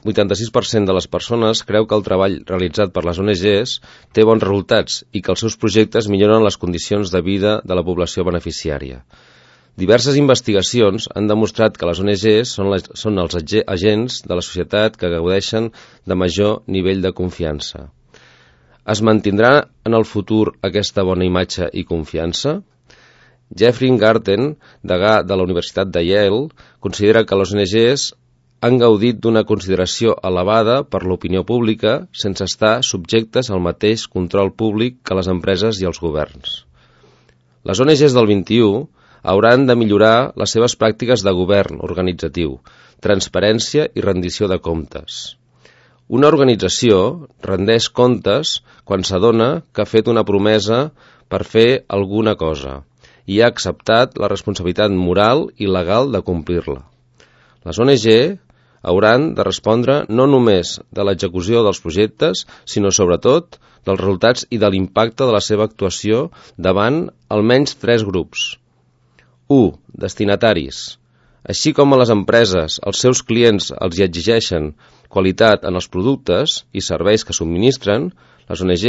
86% de les persones creu que el treball realitzat per les ONGs té bons resultats i que els seus projectes milloren les condicions de vida de la població beneficiària. Diverses investigacions han demostrat que les ONGs són els agents de la societat que gaudeixen de major nivell de confiança. Es mantindrà en el futur aquesta bona imatge i confiança? Jeffrey Garten, degà de la Universitat de Yale, considera que les ONGs han gaudit d'una consideració elevada per l'opinió pública sense estar subjectes al mateix control públic que les empreses i els governs. Les ONGs del XXI hauran de millorar les seves pràctiques de govern organitzatiu, transparència i rendició de comptes. Una organització rendeix comptes quan s'adona que ha fet una promesa per fer alguna cosa i ha acceptat la responsabilitat moral i legal de complir-la. Les ONG hauran de respondre no només de l'execució dels projectes, sinó sobretot dels resultats i de l'impacte de la seva actuació davant almenys 3 grups. 1. Destinataris. Així com a les empreses, els seus clients els hi exigeixen qualitat en els productes i serveis que subministren, les ONG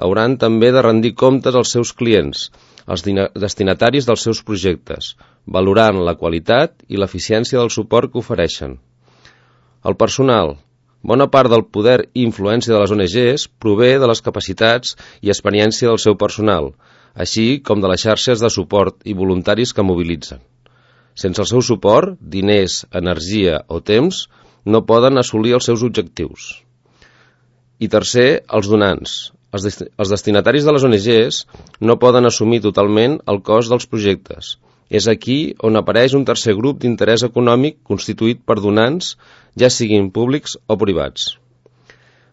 hauran també de rendir comptes als seus clients, els destinataris dels seus projectes, valorant la qualitat i l'eficiència del suport que ofereixen. El personal. Bona part del poder i influència de les ONGs prové de les capacitats i experiència del seu personal, així com de les xarxes de suport i voluntaris que mobilitzen. Sense el seu suport, diners, energia o temps no poden assolir els seus objectius. I tercer, els donants. Els destinataris de les ONGs no poden assumir totalment el cost dels projectes. És aquí on apareix un tercer grup d'interès econòmic constituït per donants, ja siguin públics o privats.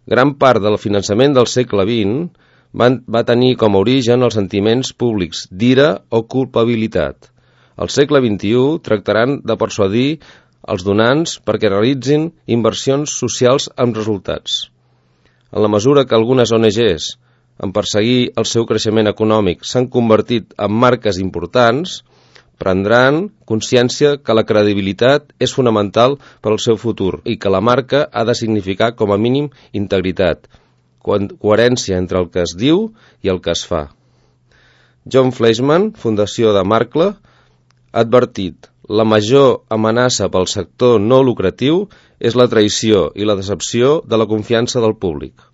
Gran part del finançament del segle XX va tenir com a origen els sentiments públics d'ira o culpabilitat. Al segle XXI tractaran de persuadir els donants perquè realitzin inversions socials amb resultats. En la mesura que algunes ONGs, en perseguir el seu creixement econòmic, s'han convertit en marques importants, prendran consciència que la credibilitat és fonamental per al seu futur i que la marca ha de significar com a mínim integritat, coherència entre el que es diu i el que es fa. John Fleischmann, Fundació de Markle, ha advertit: la major amenaça pel sector no lucratiu és la traïció i la decepció de la confiança del públic.